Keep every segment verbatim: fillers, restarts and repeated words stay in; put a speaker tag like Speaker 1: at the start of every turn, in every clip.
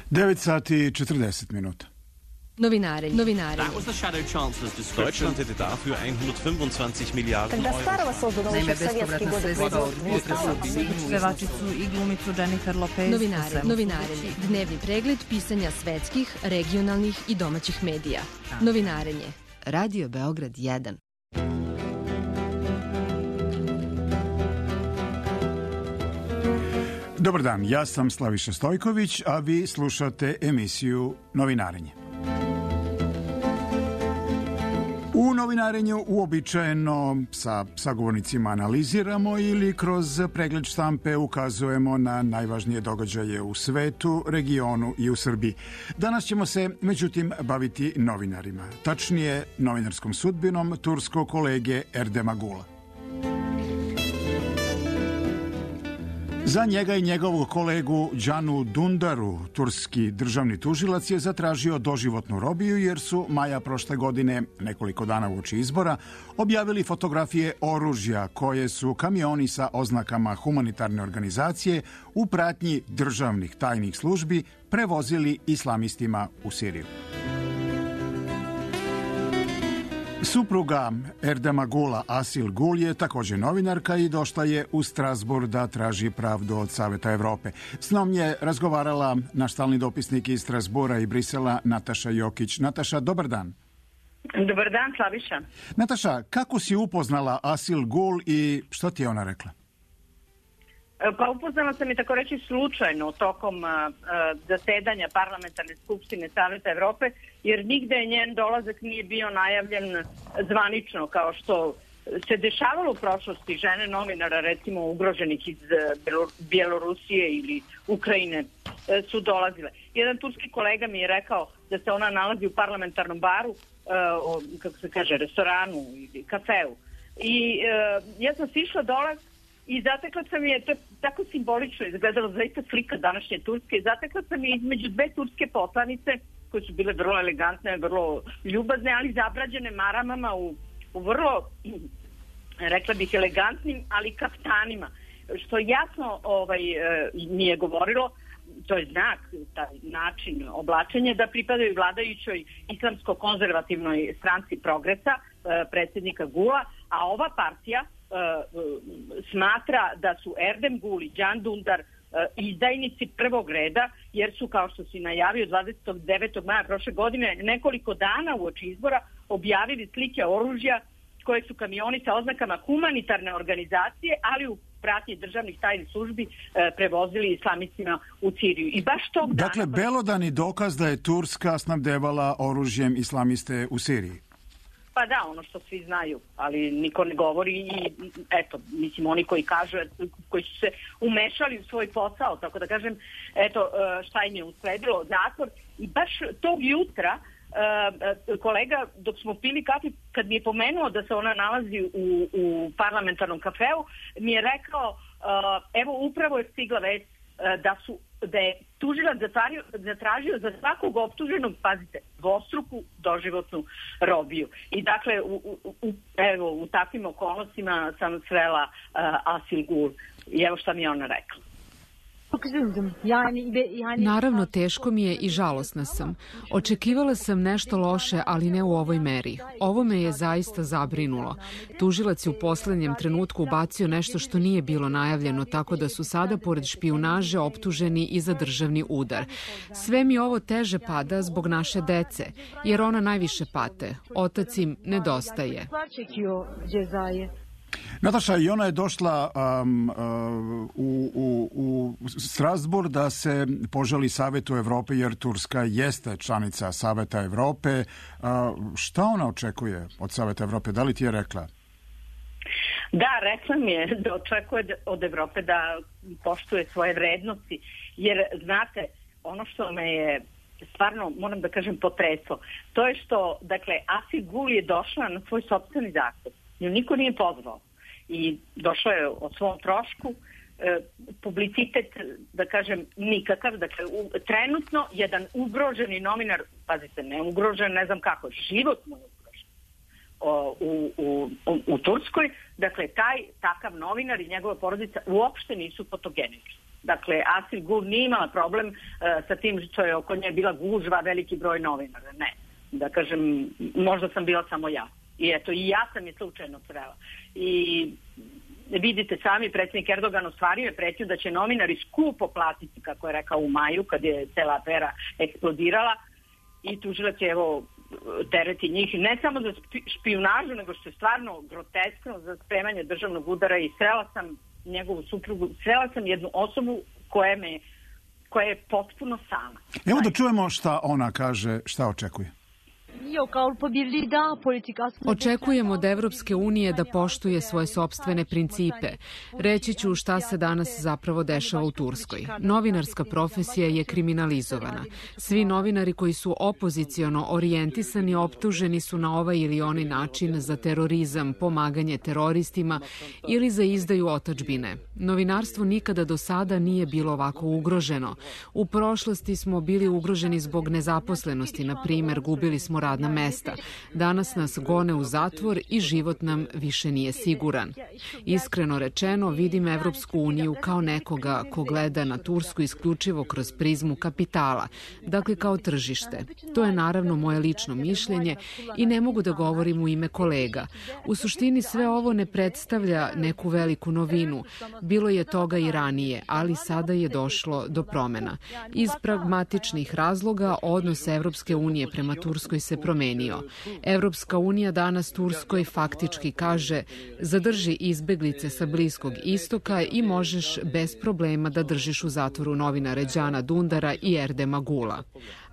Speaker 1: devet sati i četrdeset minuta.
Speaker 2: Novinare, novinare.
Speaker 3: That was the Shadow Chancellor's description.
Speaker 4: Deutschland hätte dafür hundertfünfundzwanzig Milliarden Euro.
Speaker 5: Naime, bespovratna sredstva od pevačicu i glumicu Jennifer Lopez.
Speaker 2: Novinare, novinarenje. Dnevni pregled pisanja svetskih, regionalnih i domaćih medija. Novinarenje. Radio Beograd jedan.
Speaker 1: Dobar dan, ja sam Slaviša Stojković, a vi slušate emisiju Novinarenje. U Novinarenju uobičajeno sa sagovornicima analiziramo ili kroz pregled štampe ukazujemo na najvažnije događaje u svetu, regionu i u Srbiji. Danas ćemo se, međutim, baviti novinarima, tačnije novinarskom sudbinom turskog kolege Erdema Gula. Za njega i njegovog kolegu Džanu Dundaru, turski državni tužilac je zatražio doživotnu robiju jer su maja prošle godine, nekoliko dana uoči izbora, objavili fotografije oružja koje su kamioni sa oznakama humanitarne organizacije u pratnji državnih tajnih službi prevozili islamistima u Siriju. Supruga Erdema Gula, Asil Gul, je također novinarka i došla je u Strasbourg da traži pravdu od Saveta Evrope. S njom je razgovarala naš stalni dopisnik iz Strasbourga i Brisela, Nataša Jokić. Nataša, dobar dan.
Speaker 6: Dobar dan, Slaviša.
Speaker 1: Nataša, kako si upoznala Asil Gul i što ti je ona rekla?
Speaker 6: Pa upoznala sam i tako reći slučajno tokom a, a, zasedanja parlamentarne skupštine Saveta Evrope, jer nigde njen dolazak nije bio najavljen zvanično kao što se dešavalo u prošlosti. Žene novinara, recimo ugroženih iz Bjelorusije ili Ukrajine, su dolazile. Jedan turski kolega mi je rekao da se ona nalazi u parlamentarnom baru, a, o, kako se kaže, restoranu ili kafeu. I a, ja sam sišla dole i zatekla sam je, to je tako simbolično izgledalo, zaista slika današnje Turske, i zatekla sam je između dve turske poslanice, koje su bile vrlo elegantne, vrlo ljubazne, ali zabrađene maramama u, u vrlo, rekla bih, elegantnim, ali kaftanima, što jasno ovaj, mi je govorilo, to je znak, taj način oblačenja, da pripadaju vladajućoj islamsko-konzervativnoj stranci Progresa, predsjednika Gula, a ova partija Uh, smatra da su Erdem Gul i Džan Dundar uh, izdajnici prvog reda, jer su, kao što si najavio, dvadesetog devetog maja prošle godine, nekoliko dana uoči izbora objavili slike oružja koje su kamioni sa oznakama humanitarne organizacije, ali u pratnji državnih tajnih službi uh, prevozili islamistima u Siriju. I baš tog dana...
Speaker 1: Dakle, belodani dokaz da je Turska snabdevala oružjem islamiste u Siriji.
Speaker 6: Pa da, ono što svi znaju, ali niko ne govori i eto, mislim, oni koji kažu, koji su se umešali u svoj posao, tako da kažem, eto šta im je usledilo, zatvor. I baš tog jutra kolega, dok smo pili kafe, kad mi je pomenuo da se ona nalazi u, u parlamentarnom kafeu, mi je rekao, evo upravo je stigla već da su da je tužilac zatražio, zatražio za svakog optuženog, pazite, dvostruku doživotnu robiju. I dakle, u, u, evo, u takvim okolnostima sam srela uh, Asil Gul. I evo šta mi je ona rekla.
Speaker 7: Naravno, teško mi je i žalosna sam. Očekivala sam nešto loše, ali ne u ovoj meri. Ovo me je zaista zabrinulo. Tužilac je u poslednjem trenutku ubacio nešto što nije bilo najavljeno, tako da su sada, pored špijunaže, optuženi i za državni udar. Sve mi ovo teže pada zbog naše dece, jer ona najviše pate. Otac im nedostaje.
Speaker 1: Nataša, i ona je došla um, uh, u, u, u Strasbourg da se požali Savetu Evrope, jer Turska jeste članica Saveta Evrope. Uh, šta ona očekuje od Saveta Evrope? Da li ti je rekla?
Speaker 6: Da, rekla mi je da očekuje od Evrope da poštuje svoje vrednosti, jer znate, ono što me je stvarno, moram da kažem, potreslo, to je što, dakle, Asil Gul je došla na svoj sopstveni zahtev. Nju niko nije pozvao i došao je o svom trošku, e, publicitet, da kažem, nikakav. Dakle, u, trenutno jedan ugroženi novinar, pazite, ne ugrožen, ne znam kako, život mu je ugrožen o, u, u, u, u Turskoj. Dakle, taj takav novinar i njegova porodica uopšte nisu fotogenični. Dakle, Asil Gul nije imala problem uh, sa tim što je oko nje bila gužva, veliki broj novinara. Ne. Da kažem, možda sam bila samo ja. I eto, i ja sam je slučajno srela. I vidite sami, predsjednik Erdogan ostvario je pretnju da će novinari skupo platiti, kako je rekao u maju, kad je cela afera eksplodirala, i tužilac je evo tereti njih ne samo za špijunažu, nego što je stvarno groteskno za spremanje državnog udara, i srela sam njegovu suprugu, srela sam jednu osobu koja me, koja je potpuno sama.
Speaker 1: Evo da čujemo šta ona kaže, šta očekuje.
Speaker 7: Očekujemo od Evropske unije da poštuje svoje sopstvene principe. Reći ću šta se danas zapravo dešava u Turskoj. Novinarska profesija je kriminalizovana. Svi novinari koji su opoziciono orijentisani optuženi su na ovaj ili onaj način za terorizam, pomaganje teroristima ili za izdaju otadžbine. Novinarstvo nikada do sada nije bilo ovako ugroženo. U prošlosti smo bili ugroženi zbog nezaposlenosti, na primer, gubili smo radna mesta. Danas nas gone u zatvor i život nam više nije siguran. Iskreno rečeno, vidim Evropsku uniju kao nekoga ko gleda na Tursku isključivo kroz prizmu kapitala, dakle kao tržište. To je naravno moje lično mišljenje i ne mogu da govorim u ime kolega. U suštini sve ovo ne predstavlja neku veliku novinu. Bilo je toga i ranije, ali sada je došlo do promena. Iz pragmatičnih razloga odnos Evropske unije prema Turskoj se promenio. Evropska unija danas Turskoj faktički kaže: zadrži izbeglice sa Bliskog istoka i možeš bez problema da držiš u zatvoru novinare Đana Dundara i Erdema Gula.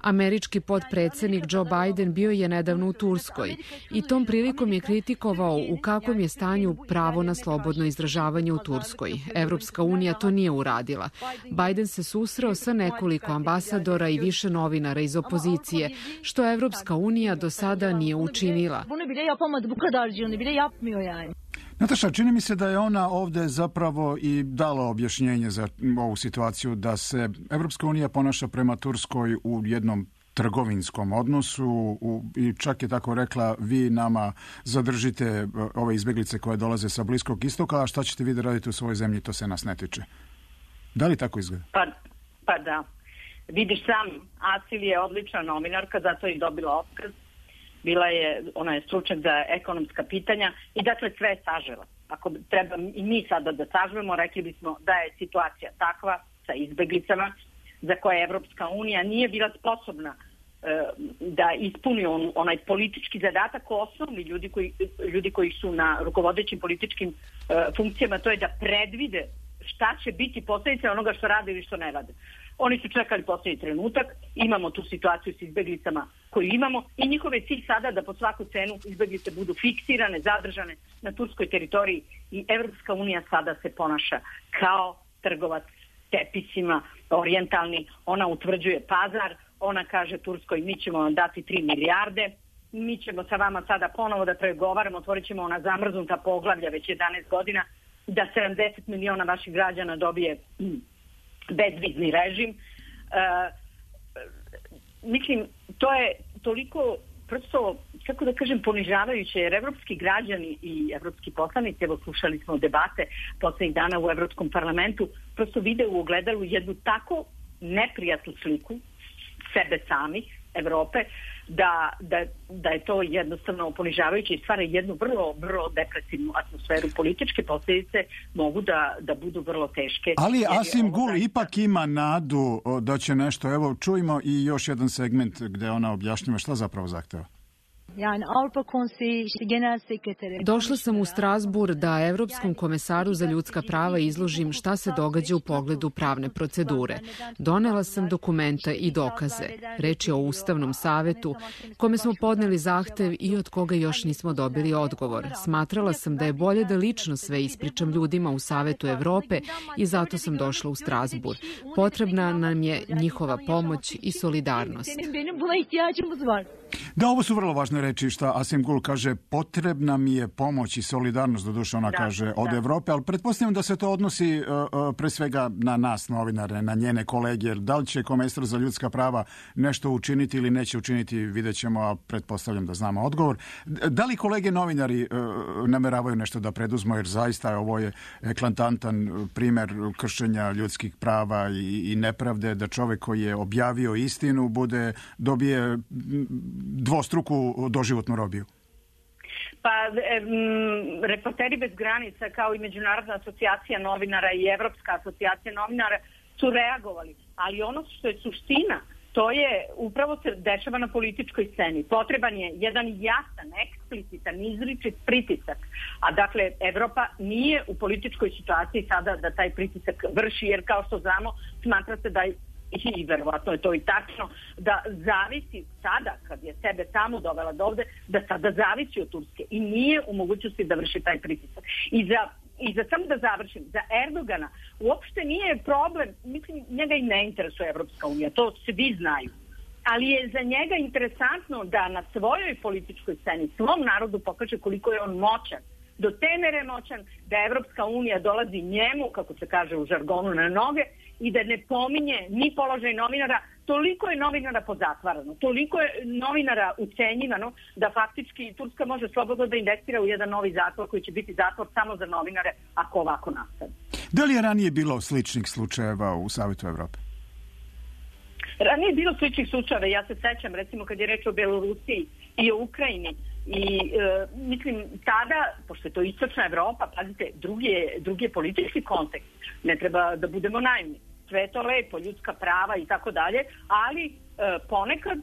Speaker 7: Američki potpredsednik Joe Biden bio je nedavno u Turskoj i tom prilikom je kritikovao u kakvom je stanju pravo na slobodno izražavanje u Turskoj. Evropska unija to nije uradila. Biden se susreo sa nekoliko ambasadora i više novinara iz opozicije, što Evropska unija do sada nije učinila.
Speaker 1: Nataša, čini mi se da je ona ovde zapravo i dala objašnjenje za ovu situaciju, da se Evropska unija ponaša prema Turskoj u jednom trgovinskom odnosu u, i čak je tako rekla: vi nama zadržite ove izbeglice koje dolaze sa Bliskog istoka, a šta ćete vi da radite u svojoj zemlji, to se nas ne tiče. Da li tako izgleda?
Speaker 6: Pa, pa da. Vidiš sam, Asil je odlična novinarka, zato je i dobila otkaz. Bila je, ona je stručnjak za ekonomska pitanja i dakle sve je sažela. Ako treba i mi sada da sažvemo, rekli bismo da je situacija takva sa izbeglicama za koje Evropska unija nije bila sposobna e, da ispuni on, onaj politički zadatak, osnovni ljudi koji, ljudi koji su na rukovodećim političkim e, funkcijama, to je da predvide šta će biti posljedice onoga što rade ili što ne rade. Oni su čekali posljednji trenutak, imamo tu situaciju s izbeglicama koju imamo i njihove cilj sada da po svaku cenu izbeglice budu fiksirane, zadržane na turskoj teritoriji, i Evropska unija sada se ponaša kao trgovac tepisima, orijentalni. Ona utvrđuje pazar, ona kaže Turskoj: mi ćemo vam dati tri milijarde, mi ćemo sa vama sada ponovo da pregovaramo, otvorit ćemo ona zamrznuta poglavlja već jedanaest godina, da sedamdeset miliona vaših građana dobije bezvizni režim. E, mislim, to je toliko prosto, kako da kažem, ponižavajuće, jer evropski građani i evropski poslanici, evo slušali smo debate poslednjih dana u Evropskom parlamentu, prosto vide u ogledalu jednu tako neprijatnu sliku sebe samih, Evrope, da, da, da je to jednostavno ponižavajuće i stvara jednu vrlo, vrlo depresivnu atmosferu. Političke posljedice mogu da, da budu vrlo teške.
Speaker 1: Ali Asim Gul da... ipak ima nadu da će nešto. Evo, čujmo i još jedan segment gde ona objašnjava šta zapravo zahteva.
Speaker 7: Došla sam u Strasbourg da Evropskom komesaru za ljudska prava izložim šta se događa u pogledu pravne procedure. Donela sam dokumenta i dokaze. Reč je o Ustavnom savetu, kome smo podneli zahtev i od koga još nismo dobili odgovor. Smatrala sam da je bolje da lično sve ispričam ljudima u Savetu Evrope i zato sam došla u Strasbourg. Potrebna nam je njihova pomoć i solidarnost.
Speaker 1: Da, ovo su vrlo važne reči šta Asim Gul kaže, potrebna mi je pomoć i solidarnost, doduše ona da, kaže, od da. Evrope, ali pretpostavljam da se to odnosi uh, uh, pre svega na nas, novinare, na njene kolege, jer da li će komesar za ljudska prava nešto učiniti ili neće učiniti, vidjet ćemo, a pretpostavljam da znamo odgovor. Da li kolege novinari uh, nameravaju nešto da preduzmu, jer zaista ovo je eklatantan primer kršenja ljudskih prava i, i nepravde, da čovek koji je objavio istinu bude, dobije dvostruku doživotnu robiju?
Speaker 6: Pa, m, Reporteri bez granica, kao i Međunarodna asocijacija novinara i Evropska asocijacija novinara su reagovali. Ali ono što je suština, to je upravo se dešava na političkoj sceni. Potreban je jedan jasan, eksplicitan, izričit pritisak. A dakle, Evropa nije u političkoj situaciji sada da taj pritisak vrši, jer kao što znamo, smatra se da i verovatno je to i tačno, da zavisi sada, kad je sebe tamo dovela do ovde, da sada zavisi od Turske i nije u mogućnosti da vrši taj pritisak. I za, i za samo da završim, za Erdogana uopšte nije problem, mislim, njega i ne interesuje Evropska unija, to svi znaju. Ali je za njega interesantno da na svojoj političkoj sceni svom narodu pokaže koliko je on moćan. Do te mere moćan da Evropska unija dolazi njemu, kako se kaže u žargonu, na noge i da ne pominje ni položaj novinara. Toliko je novinara pozatvarano, toliko je novinara ucenjivano da faktički Turska može slobodno da investira u jedan novi zatvor koji će biti zatvor samo za novinare ako ovako nastane.
Speaker 1: Da li je ranije bilo sličnih slučajeva u Savetu Evrope?
Speaker 6: Ranije je bilo sličnih slučajeva. Ja se sećam, recimo, kad je reč o Belorusiji i o Ukrajini. I e, mislim, tada, pošto je to istočna Evropa, pazite, drugi je, drugi je politički kontekst. Ne treba da budemo naivni. Sve je to lepo, ljudska prava i tako dalje, ali e, ponekad, e,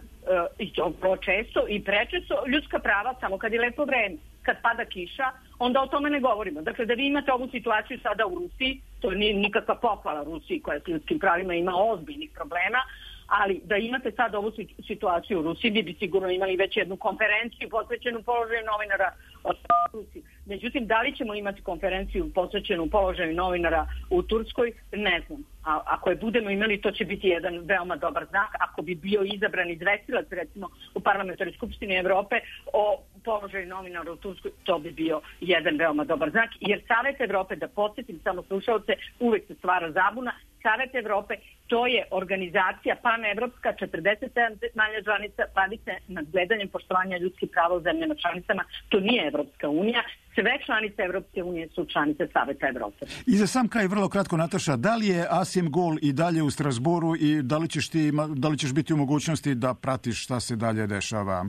Speaker 6: i to često i prečesto, ljudska prava samo kad je lepo vreme. Kad pada kiša, onda o tome ne govorimo. Dakle, da vi imate ovu situaciju sada u Rusiji, to nije nikakva pohvala Rusiji koja s ljudskim pravima ima ozbiljnih problema, ali da imate sad ovu situaciju u Rusiji, bi bi sigurno imali već jednu konferenciju posvećenu položaju novinara od Rusiji. Međutim, da li ćemo imati konferenciju posvećenu položaju novinara u Turskoj, ne znam. A ako je budemo imali, to će biti jedan veoma dobar znak. Ako bi bio izabran izvestilac, recimo, u Parlamentarnoj skupštini Evrope o položaju novinara u Turskoj, to bi bio jedan veoma dobar znak. Jer Savet Evrope, da podsjetim samo slušalce, uvek se stvara zabuna, Savet Evrope, to je organizacija panevropska, četrdeset sedam zemalja članica, bavi se nadgledanjem poštovanja ljudskih prava u zemljama članicama. To nije Evropska unija. Sve članice Evropske unije su članice Saveta Evrope.
Speaker 1: I za sam kraj, vrlo kratko, Nataša, da li je Asim Gul i dalje u Strasboru i da li ćeš, ti, da li ćeš biti u mogućnosti da pratiš šta se dalje dešava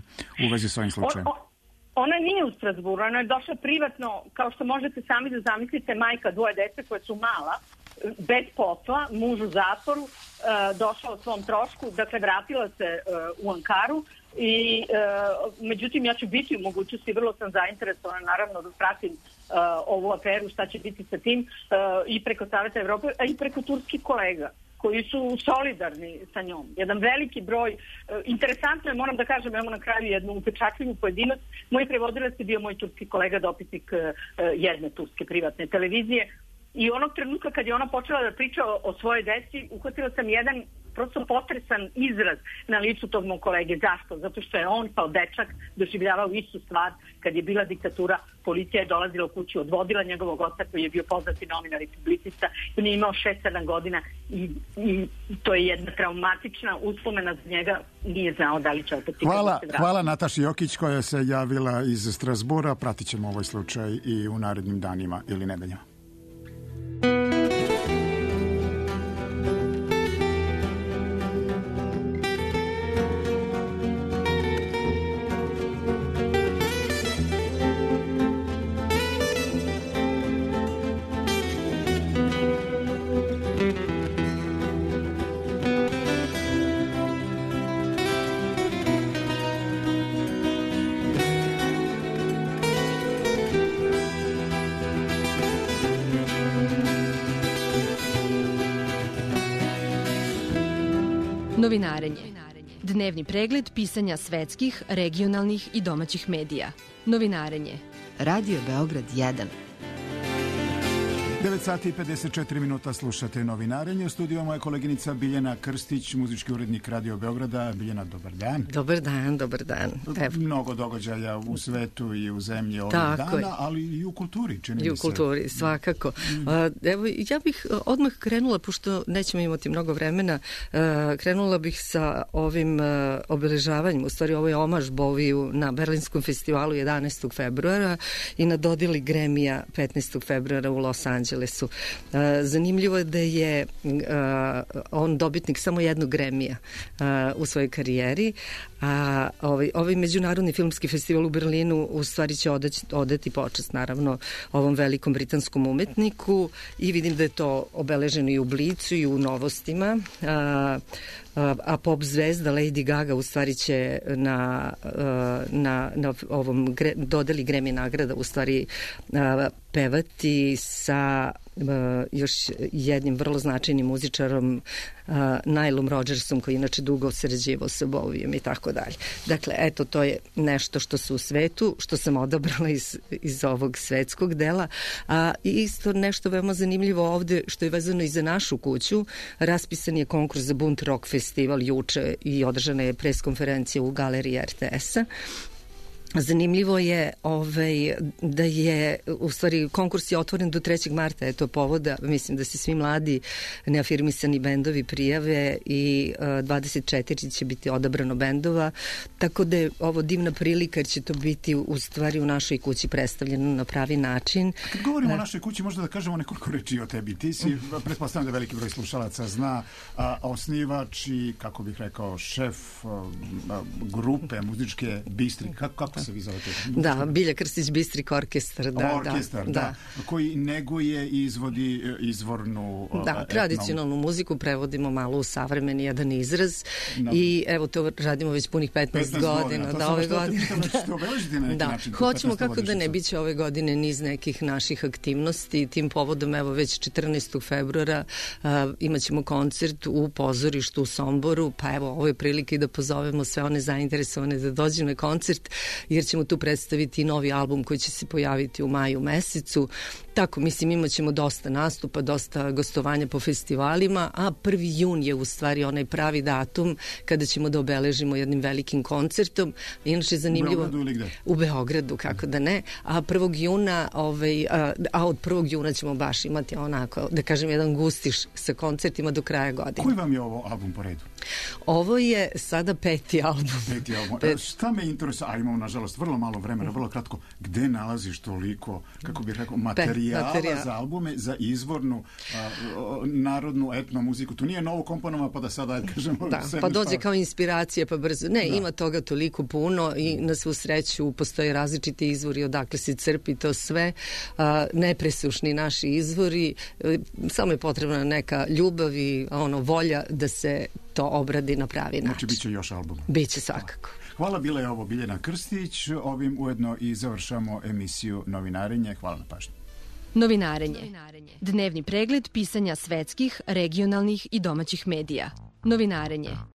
Speaker 1: u vezi s ovim slučajem?
Speaker 6: Ona nije u Strasboru, ona je došla privatno, kao što možete sami da zamislite, majka dvoje dece koje su mala, bez posla, muž u zatvoru, došla o svom trošku, dakle vratila se u Ankaru i međutim ja ću biti u mogućnosti, vrlo sam zainteresovana naravno da pratim ovu aferu, šta će biti sa tim i preko Saveta Evrope, a i preko turskih kolega koji su solidarni sa njom. Jedan veliki broj, interesantno je, moram da kažem, evo na kraju jednu upečatljivu pojedinost, moj prevodilac je bio moj turski kolega, dopisnik jedne turske privatne televizije. I onog trenutka kad je ona počela da priča o, o svojoj deci, uhvatila sam jedan prosto potresan izraz na licu tog mog kolege. Zašto? Zato što je on kao dečak doživljavao istu stvar kad je bila diktatura. Policija je dolazila u kuću, odvodila njegovog oca koji je bio poznati novinar i publicista. On je imao šest sedam godina i, i to je jedna traumatična uspomena za njega. Nije znao da li će opet...
Speaker 1: Hvala, hvala Nataši Jokić koja se javila iz Strasbura. Pratit ćemo ovaj slučaj i u narednim danima ili nedeljama.
Speaker 2: Novinarenje. Dnevni pregled pisanja svetskih, regionalnih i domaćih medija. Novinarenje. Radio Beograd jedan.
Speaker 1: devet sati i pedeset četiri minuta slušate Novinarenje. U studiju moja koleginica Biljana Krstić, muzički urednik Radio Beograda. Biljana, dobar dan.
Speaker 8: Dobar dan, dobar dan.
Speaker 1: Evo. Mnogo događaja u svetu i u zemlji ovih dana, je. Ali i u kulturi, čini mi se.
Speaker 8: I u kulturi, svakako. Mm. Evo, ja bih odmah krenula, pošto nećemo imati mnogo vremena, krenula bih sa ovim obeležavanjem, u stvari ovo je omaž Boviju na Berlinskom festivalu jedanaestog februara i na dodeli Grammy-a petnaestog februara u Los Angelesu. Zanimljivo je da je on dobitnik samo jednog Grammy-a u svojoj karijeri, a ovaj, ovaj međunarodni filmski festival u Berlinu u stvari će odać, odati počast naravno ovom velikom britanskom umetniku i vidim da je to obeleženo i u Blicu i u novostima. A, a pop zvezda Lady Gaga u stvari će na, na, na ovom dodeli Grammy nagrada u stvari pevati sa još jednim vrlo značajnim muzičarom Nilom Rodgersom, koji inače dugo sarađivao sa Bovijem i tako dalje. Dakle, eto, to je nešto što su u svetu, što sam odabrala iz, iz ovog svetskog dela, a isto nešto veoma zanimljivo ovde, što je vezano i za našu kuću. Raspisan je konkurs za Bunt Rock festival juče i održana je preskonferencija u galeriji R T S-a. Zanimljivo je ovaj, da je, u stvari, konkurs je otvoren do trećeg marta, eto povoda, mislim da se svi mladi neafirmisani bendovi prijave i uh, dvadeset četiri će biti odabrano bendova, tako da je ovo divna prilika jer će to biti u stvari u našoj kući predstavljeno na pravi način.
Speaker 1: A kad govorimo uh, o našoj kući, možda da kažemo nekoliko reči o tebi. Ti si, pretpostavljam da veliki broj slušalaca zna, a, osnivač i, kako bih rekao, šef a, a, grupe muzičke Bistri. Kako, kako se vi zovete?
Speaker 8: Da, Bilja Krstić Bistrik orkestar. Da,
Speaker 1: orkestar, da, da. da. Koji neguje i izvodi izvornu
Speaker 8: da, etnom. Tradicionalnu muziku prevodimo malo u savremeni jedan izraz no. I evo to radimo već punih petnaest, petnaest godina. Da, ove godine.
Speaker 1: Da,
Speaker 8: da. Hoćemo kako da ne biće ove godine niz nekih naših aktivnosti. Tim povodom evo već četrnaestog februara uh, imaćemo koncert u pozorištu u Somboru, pa evo ovo je prilike da pozovemo sve one zainteresovane da dođu na koncert, jer ćemo tu predstaviti novi album koji će se pojaviti u maju mesecu. Tako, mislim, imat ćemo dosta nastupa, dosta gostovanja po festivalima, a prvi jun je u stvari onaj pravi datum kada ćemo da obeležimo jednim velikim koncertom. Inače, zanimljivo...
Speaker 1: U Beogradu ili gde?
Speaker 8: U Beogradu, kako da ne. A prvog juna, ovaj, a, a od prvog juna ćemo baš imati onako, da kažem, jedan gustiš sa koncertima do kraja godine.
Speaker 1: Koji vam je ovo album po redu?
Speaker 8: Ovo je sada peti album.
Speaker 1: Peti album. Pet... Šta me interesuje, a imamo, nažalost, vrlo malo vremena, vrlo kratko, gde nalaziš toliko, kako bih rekao, materijala Materijal. za albume, za izvornu a, a, narodnu etno muziku? To nije novo komponovano, pa da sada, kažemo...
Speaker 8: Da, pa dođe stav... kao inspiracija, pa brzo. Ne, da. Ima toga toliko puno i na svu sreću postoje različiti izvori odakle se crpi to sve. A, nepresušni naši izvori. A, samo je potrebna neka ljubav i ono, volja da se to obradi na pravi način.
Speaker 1: Znači, bit će još album.
Speaker 8: Biće svakako.
Speaker 1: Hvala, bila je ovo Biljana Krstić. Ovim ujedno i završamo emisiju Novinarenje. Hvala na pažnju.
Speaker 2: Novinarenje. Dnevni pregled pisanja svetskih, regionalnih i domaćih medija. Novinarenje.